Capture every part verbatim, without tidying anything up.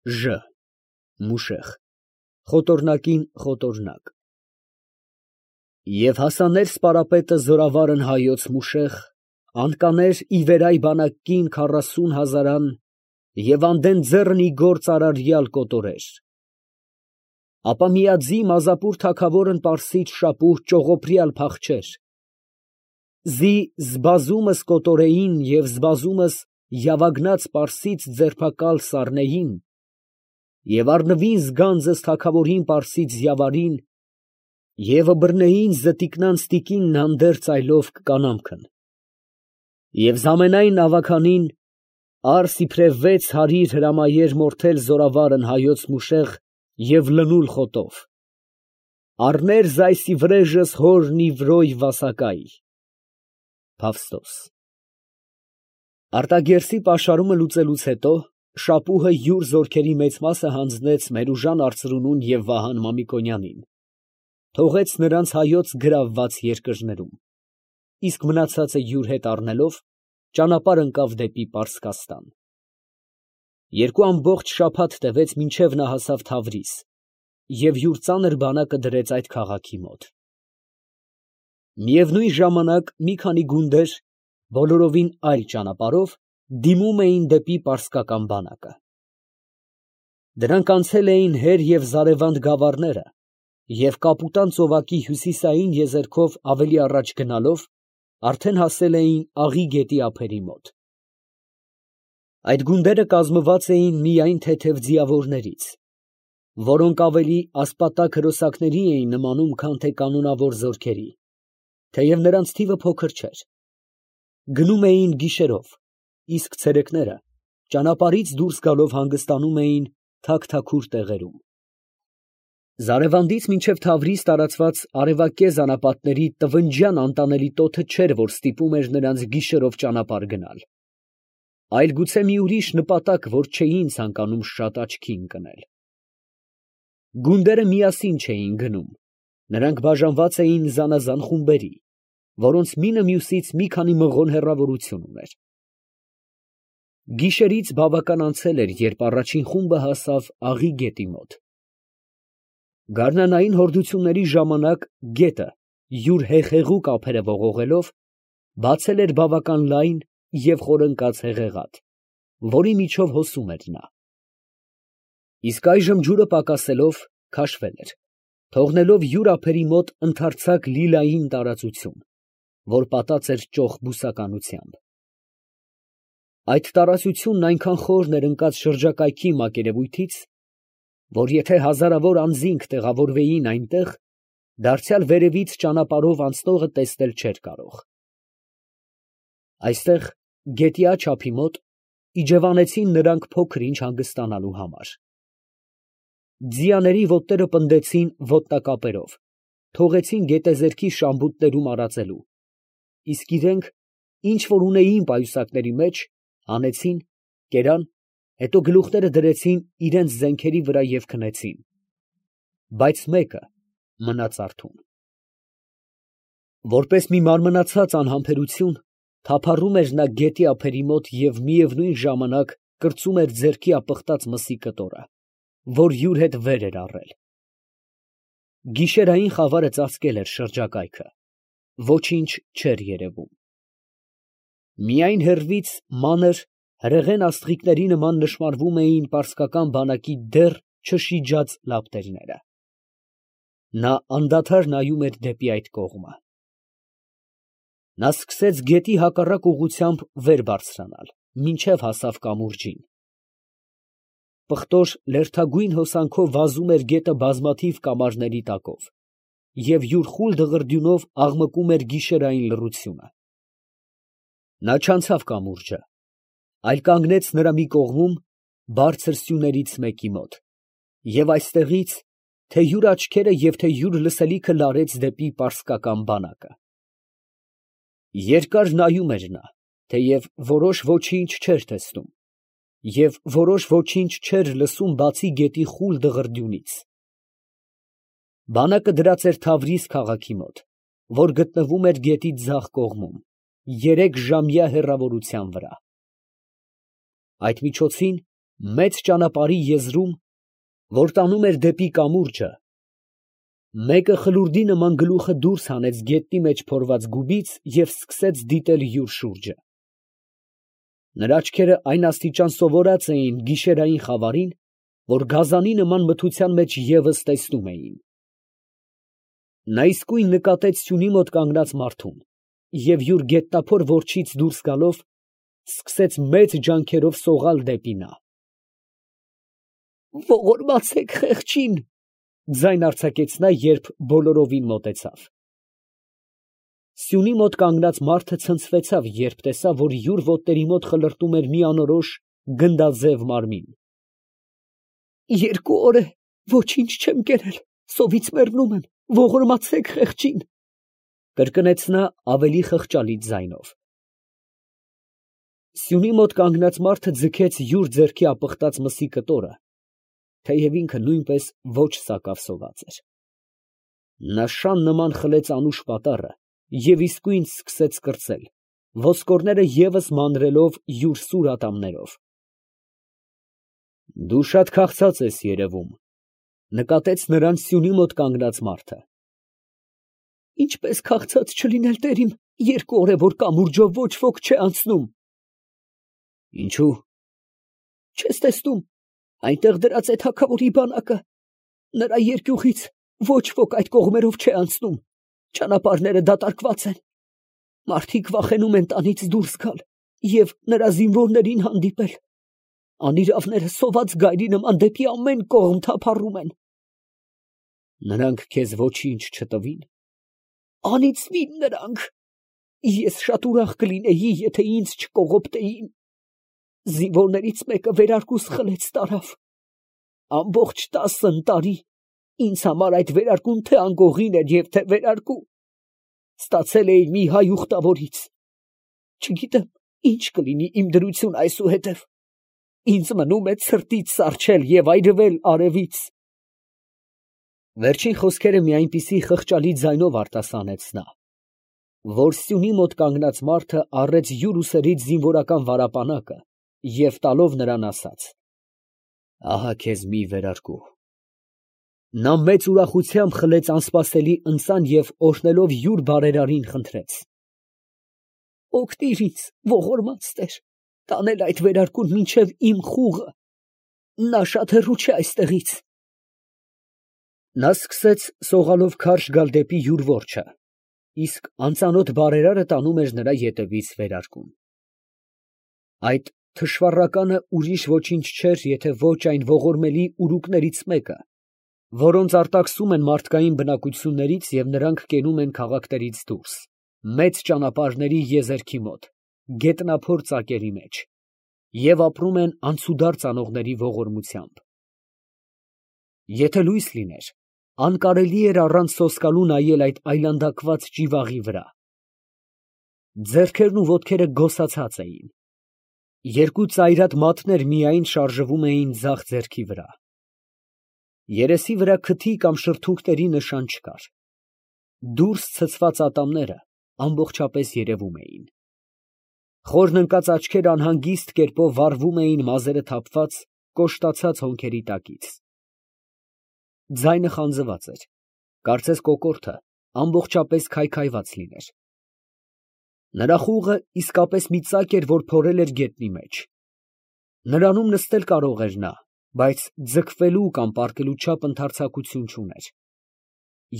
Ժ մուշեղ, խոտորնակին խոտորնակ։ Եվ հասաներ սպարապետը զորավարն հայոց մուշեղ, անկաներ ի վերայ բանակին քառասուն հազարան, և անդեն ձեռն ի գործ արարյալ կոտորեր։ Ապա միաձի Մազապուր թագավորն պարսից շապուհ ճողոպրյալ փախչեր։ Զի զբազումս կոտորեին և զբազումս յավագնաց պարսից ձերբակալ սառնեին, և առնվին զգանձս թագավորին պարսից զյավարին, և բռնեին զտիկնանց տիկինն հանդերձ այլով կանամքն։ Եվ զամենայն ավագանին առ իբրև վեց հարիր հրամայեր մորթել զորավարն հայոց մուշեղ և լնուլ խոտով. առներ զայս ի վրեժս հորն ի վրոյ վասակայ։ Փավստոս։ Արտագերսի պաշարումը լուծելուց հետո շապուհը յուր զորքերի մեծ մասը հանձնեց Մերուժան արծրունուն և Վահան Մամիկոնյանին, թողեց նրանց հայոց գրավված երկրներում, իսկ մնացածը յուր հետ առնելով ճանապարհ ընկավ դեպի Պարսկաստան։ Երկու ամբողջ շաբաթ տևեց, մինչև նա հասավ Թավրիզ և յուր ծանր բանակը դրեց այդ քաղաքի մոտ։ Միևնույն ժամանակ մի քանի գունդեր, բոլորովին այլ ճանապարհով, դիմում էին դեպի պարսկական բանակը։ Դրանք անցել էին Հեր և Զարևանդ գավառները և Կապուտան ծովակի հյուսիսային եզերքով ավելի առաջ գնալով, արդեն հասել էին Աղի գետի ափերի մոտ։ Այդ գունդերը կազմված էին միայն թեթև ձիավորներից, որոնք ավելի ասպատակ հրոսակների էին նմանում, քան թե կանոնավոր զորքերի, թեև նրանց թիվը փոքր չէր։ Գնում էին գիշերով, իսկ ցերեկները ճանապարհից դուրս գալով հանգստանում էին թաքթաքուր տեղերում։ Զարևանդից մինչև Թավրիզ տարածված արևակեզ անապատների տվնջյան անտանելի տոթը չէր, որ ստիպում էր նրանց գիշերով ճանապարհ գնալ, այլ գուցե մի ուրիշ նպատակ, որ չէին ցանկանում շատ աչքի ընկնել։ Գունդերը միասին չէին գնում, նրանք բաժանված էին զանազան խումբերի, որոնց մինը մյուսից մի քանի մղոն հեռավորություն ուներ։ Գիշերից բավական անցել էր, երբ առաջին խումբը հասավ Աղի գետի մոտ։ Գարնանային հորդությունների ժամանակ գետը, յուր հեղեղուկ ափերը ողողելով, բացել էր բավական լայն և խորընկած հեղեղատ, որի միջով հոսում էր նա։ Իսկ այժմ ջուրը պակասելով, քաշվել էր, թողնելով յուր ափերի մոտ ընդարձակ լիլային տարածություն, որ պատած էր ճոխ բուսականությամբ։ Այդ տարածությունն այնքան խորն էր ընկած շրջակայքի մակերևույթից, որ եթե հազարավոր անձինք տեղավորվեին այնտեղ, դարձյալ վերևից ճանապարհով անցնողը տեսնել չէր կարող։ Այստեղ, գետի աջ ափի մոտ, իջևանեցին նրանք փոքր ինչ հանգստանալու համար։ Ձիաների ոտները պնդեցին ոտնակապերով, թողեցին գետեզերքի շամբուտներում արածելու, իսկ իրենք, ինչ որ ունեին պայուսակների մեջ, հանեցին, կերան, հետո գլուխները դրեցին իրենց զենքերի վրա և քնեցին, բայց մեկը մնաց արթուն։ Որպես մի մարմնացած անհամբերություն, թափառում էր նա գետի ափերի մոտ և միևնույն ժամանակ կրծում էր ձեռքի ապխտած մսի կտորը, որ յուր հետ վեր էր առել։ Գիշերային խավարը ծածկել էր շրջակայքը, ոչինչ չէր երևում։ Միայն հեռվից մանր, հրեղեն աստղիկների նման նշմարվում էին պարսկական բանակի դեռ չշիջած լապտերները։ Նա անդադար նայում էր դեպի այդ կողմը։ Նա սկսեց գետի հակառակ ուղղությամբ վեր բարձրանալ, մինչև հասավ կամուրջին։ Պղտոր լերդագույն հոսանքով վազում էր գետը բազմաթիվ կամարների տակով և յուր խուլ դղրդյունով աղմկում էր գիշերային լռությունը։ Նա չանցավ կամուրջը, այլ կանգնեց նրա մի կողմում, բարձր սյուներից մեկի մոտ, և այստեղից թե յուր աչքերը և թե յուր լսելիքը լարեց դեպի պարսկական բանակը։ Երկար նայում էր նա, թեև որոշ ոչինչ չէր տեսնում, և որոշ ոչինչ չէր լսում, բացի գետի խուլ դղրդյունից։ Բանակը դրած էր Թավրիզ քաղաքի մոտ, որ գտնվում էր գետի ձախ կողմում, երեք ժամյա հեռավորության վրա։ Այդ միջոցին Մեծ ճանապարհի եզրում, որ տանում էր դեպի կամուրջը, մեկը խլուրդի նման գլուխը դուրս հանեց գետնի մեջ փորված գուբից և սկսեց դիտել յուր շուրջը. նրա աչքերը այն աստիճան սովորած էին գիշերային խավարին, որ գազանի նման մթության մեջ ևս տեսնում էին. նա իսկույն նկատեց սյունի մոտ կանգնած մարդուն և յուր գետնափոր որջից դուրս գալով, սկսեց մեծ ջանքերով սողալ դեպի նա։ «Ողորմացե՛ք խեղճին», ձայն արձակեց նա, երբ բոլորովին մոտեցավ։ Սյունի մոտ կանգնած մարդը ցնցվեցավ, երբ տեսավ, որ յուր ոտների մոտ խլրտում էր մի անորոշ գնդաձև մարմին։ «Երկու օր է ոչինչ չեմ կերել, սովից մեռնում եմ, ողորմացե՛ք խեղճին», կրկնեց նա ավելի խղճալի ձայնով։ Սյունի մոտ կանգնած մարդը ձգեց յուր ձեռքի ապխտած մսի կտորը, թեև ինքը նույնպես ոչ սակավ սոված էր։ Նա շան նման խլեց անուշ պատառը և իսկույն սկսեց կրծել, ոսկորները ևս մանրելով յուր սուր ատամներով։ «Դու շատ քաղցած ես երևում», նկատեց նրան սյունի մոտ կանգնած մարդը։ «Ինչպես քաղցած չլինել, տեր իմ, երկու օր է, որ կամուրջով ոչ ոք չէ անցնում»։ «Ինչո՞ւ»։ «Չես տեսնում, այնտեղ դրած է թագավորի բանակը, նրա երկյուղից ոչ ոք այդ կողմերով չէ անցնում, ճանապարհները դատարկված են, մարդիկ վախենում են տանից դուրս գալ և նրա զինվորներին հանդիպել, անիրավները սոված գայլի նման դեպի ամեն կողմ թափառում են»։ «Նրանք քեզ ոչինչ չտվի՞ն»։ «Անիծվի՜ն նրանք, ես շատ ուրախ կլինեի, եթե ինձ չկողոպտեին, զինվորներից մեկը վերարկուս խլեց տարավ, ամբողջ տասն տարի ինձ համար այդ վերարկուն թե անգողին էր և թե վերարկու, ստացել էի մի հայ ուխտավորից, չգիտեմ ինչ կլինի իմ դրությունը այսուհետև, ինձ մնում է ցրտից սառչել և այրվել արևից»։ Վերջին խոսքերը մի այնպիսի խղճալի ձայնով արտասանեց նա, որ սյունի մոտ կանգնած մարդը առեց յուր ուսերից զինվորական վարապանակը և տալով նրան ասաց. «Ահա քեզ մի վերարկու»։ Նա մեծ ուրախությամբ խլեց անսպասելի ընծան և օրհնելով յուր բարերարին խնդրեց. «Օգնիր ինձ, ողորմած տեր, տանել այդ վերարկուն մինչև իմ խուղը, նա շատ հեռու չէ այստեղից»։ Նա սկսեց սողալով քարշ գալ դեպի յուր որջը, իսկ անծանոթ բարերարը տանում էր նրա ետևից վերարկուն։ Այդ թշվառականը ուրիշ ոչինչ չէր, եթե ոչ այն ողորմելի ուրուկներից մեկը, որոնց արտաքսում են մարդկային բնակություններից և նրանք կենում են քաղաքներից դուրս, մեծ ճանապարհների եզերքի մոտ, գետնափոր ծակերի մեջ, և ապրում են անցուդարձ անողների ողորմությամբ։ Եթե լույս լիներ, անկարելի էր առանց սոսկալու նայել այդ այլանդակված ճիվաղի վրա։ Ձեռքերն ու ոտքերը գոսացած էին, երկու ծայրատ մատներ միայն շարժվում էին ձախ ձեռքի վրա։ Երեսի վրա քթի կամ շրթունքների նշան չկար։ Դուրս ցցված ատամները ամբողջապես երևում էին։ Խորն ընկած աչքերը անհանգիստ կերպով վառվում էին մազերը թափված, կոշտացած հոնքերի տակից։ Ձայնը խանձված էր, կարծես կոկորդը ամբողջապես քայքայված լիներ։ Նրա խուղը իսկապես մի ծակ էր, որ փորել էր գետնի մեջ։ Նրանում նստել կարող էր նա, բայց ձգվելու կամ պառկելու չափ ընդարձակություն չուներ։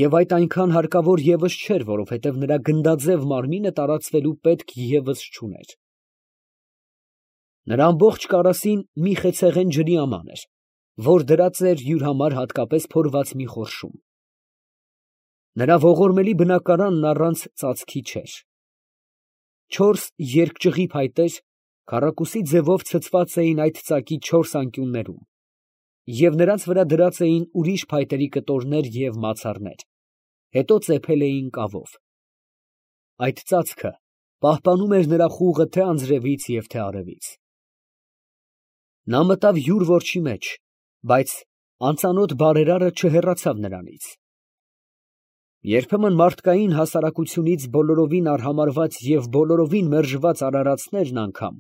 Եվ այդ այնքան հարկավոր ևս չէր, որովհետև նրա գնդաձև մարմինը տարածվելու պետք ևս չուներ։ Նրա ամբողջ կարասին մի խեցեղեն ջրի աման էր, որ դրած էր յուր համար հատկապես փորված մի խորշում։ Նրա ողորմելի բնակարանն առանց ծածկի չէր։ Չորս երկճղի փայտեր քառակուսի ձևով ցցված էին այդ ծակի չորս անկյուններում, և նրանց վրա դրած էին ուրիշ փայտերի կտորներ և մացառներ, հետո ծեփել էին կավով։ Այդ ծածկը պահպանում էր նրա խուղը թե անձրևից և թե արևից։ Նա մտավ յուր որջի մեջ, բայց անծանոթ բարերարը չհեռացավ նրանից։ Երբեմն մարդկային հասարակությունից բոլորովին արհամարհված և բոլորովին մերժված արարածներն անգամ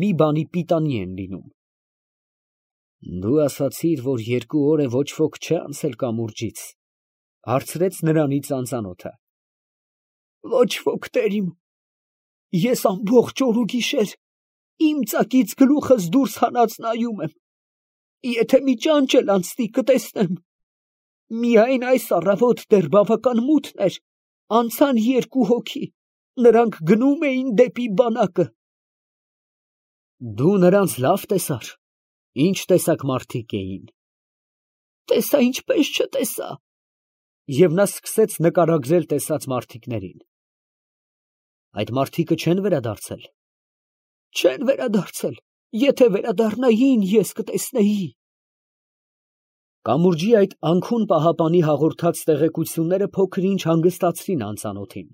մի բանի պիտանի են լինում։ Դու ասացիր, որ երկու օր է ոչ ոք չէ անցել կամուրջից, հարցրեց նրանից անծանոթը։ Ոչ ոք, տերիմ, ես ամբողջ օր ու գիշեր իմ ծակից գլուխս դուրս հանած նայում եմ, եթե մի ճանճ էլ անցնի կտեսնեմ, միայն այս առավոտ դեռ բավական մութն էր, անցան երկու հոգի, նրանք գնում էին դեպի բանակը։ Դու նրանց լավ տեսար, ինչ տեսակ մարդիկ էին։ Տեսա, ինչպես չտեսա։ Եվ նա սկսեց նկարագրել տեսած մարդիկներին։ Այդ մարդիկը չեն վերադարձել։ Չեն վերադարձել, եթե վերադառնային, ես կտեսնեի։ Կամուրջի այդ անքուն պահապանի հաղորդած տեղեկությունները փոքր-ինչ հանգստացրին անծանոթին,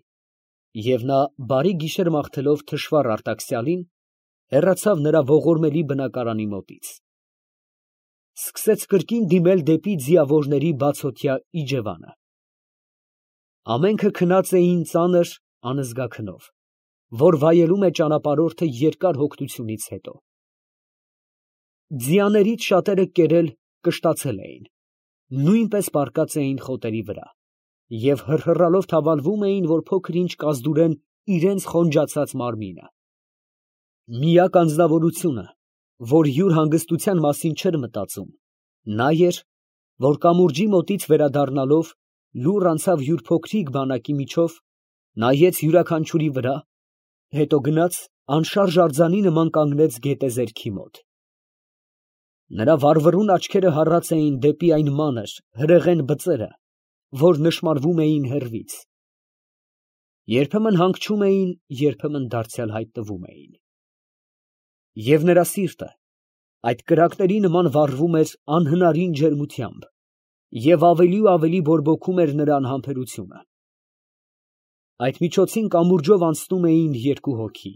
և նա բարի գիշեր մաղթելով թշվառ արտաքսյալին, հեռացավ նրա ողորմելի բնակարանի մոտից։ Սկսեց կրկին դիմել դեպի ձիավորների բացօթյա իջևանը։ Ամենքը քնած էին ծանր անզգա քնով, որ վայելում է ճանապարհորդը երկար հոգնությունից հետո։ Ձիաներից շատերը կերել, կշտացել էին, նույնպես պառկած էին խոտերի վրա և հռհռալով թավալվում էին, որ փոքր-ինչ կազդուրեն իրենց խոնջացած մարմինը։ Միակ անձնավորությունը, որ յուր հանգստության մասին չէր մտածում, նա էր, որ կամուրջի մոտից վերադառնալով լուռ անցավ յուր փոքրիկ բանակի միջով, նայեց յուրաքանչյուրի վրա, հետո գնաց անշարժ արձանի նման կանգնեց գետեզերքի մոտ։ Նրա վառվռուն աչքերը հառած էին դեպի այն մանր, հրեղեն բծերը, որ նշմարվում էին հեռվից։ Երբեմն հանգչում էին, երբեմն դարձյալ հայտնվում էին։ Եվ նրա սիրտը այդ կրակների նման վառվում էր անհնարին ջերմությամբ, և ավելի ու ավելի բորբոքում էր նրա անհամբերությունը։ Այդ միջոցին կամուրջով անցնում էին երկու հոգի։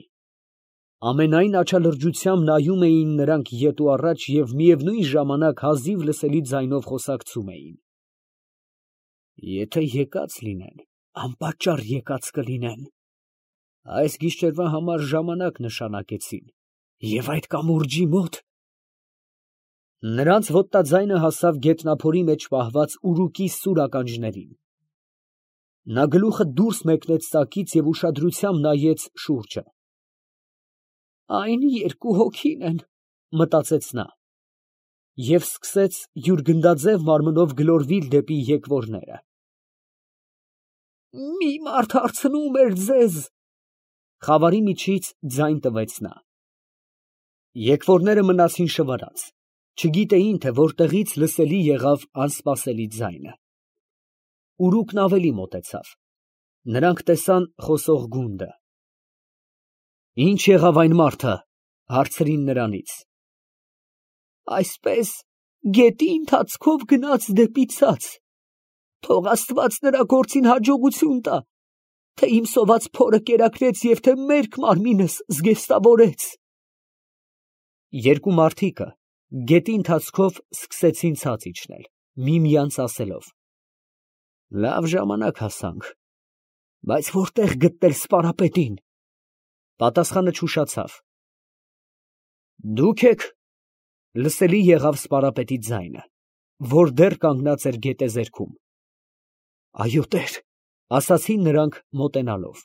Ամենայն աչալրջությամբ նայում էին նրանք ետ ու առաջ և միևնույն ժամանակ հազիվ լսելի ձայնով խոսակցում էին։ Եթե եկած լինեն, անպատճառ եկած կլինեն։ Այս գիշերվա համար ժամանակ նշանակեցին, և այդ կամուրջի մոտ… Նրանց ոտածայնը հասավ գետնափորի մեջ պահված ուռուկի սուր ականջներին։ Նա գլուխը դուրս մեկնեց ծակից և ուշադրությամբ նայեց շուրջը։ Այն երկու հոգին են, մտածեց նա, և սկսեց յուր գնդաձև մարմնով գլորվել դեպի եկվորները։ Մի մարդ հարցնում էր ձեզ… Խավարի միջից ձայն տվեց նա։ Եկվորները մնացին շվարած, չգիտեին, թե որտեղից լսելի եղավ անսպասելի ձայնը։ Ուռուկն ավելի մոտեցավ, նրանք տեսան խոսող գունդը։ Ի՞նչ եղավ այն մարդը, հարցրին նրանից։ Այսպես գետի ընթացքով գնաց դեպի ցած, թող աստված նրա գործին հաջողություն տա, թե իմ սոված փորը կերակրեց և թե մերկ մարմինս զգեստավորեց։ Երկու մարդիկը գետի ընթացքով սկսեցին ցած իջնել, միմյանց ասելով. Լավ ժամանակ հասանք, բայց որտե՞ղ գտնել սպարապետին։ Պատասխանը չուշացավ։ Դու՞ք եք, լսելի եղավ սպարապետի ձայնը, որ դեռ կանգնած էր գետեզերքում։ Այո, տեր, ասացին նրանք մոտենալով։